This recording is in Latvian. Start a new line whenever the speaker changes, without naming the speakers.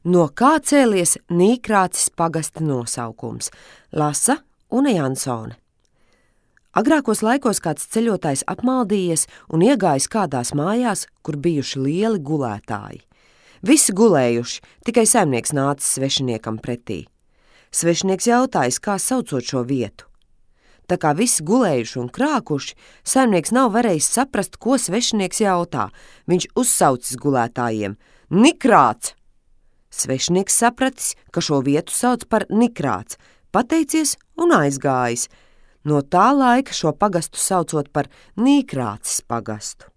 No kā cēlies Nīkrācis pagasta nosaukums? Lasa Une Jansone. Agrākos laikos kāds ceļotājs apmaldījies un iegājis kādās mājās, kur bijuši lieli gulētāji. Visi gulējuši, tikai saimnieks nācis svešiniekam pretī. Svešinieks jautājis, kā saucot šo vietu. Tā kā visi gulējuši un krākuši, saimnieks nav varējis saprast, ko svešinieks jautā. Viņš uzsaucis gulētājiem: Nikrāts! Svešinieks sapratis, ka šo vietu sauc par Nikrāts, pateicies un aizgājis. No tā laika šo pagastu saucot par Nīkrācis pagastu.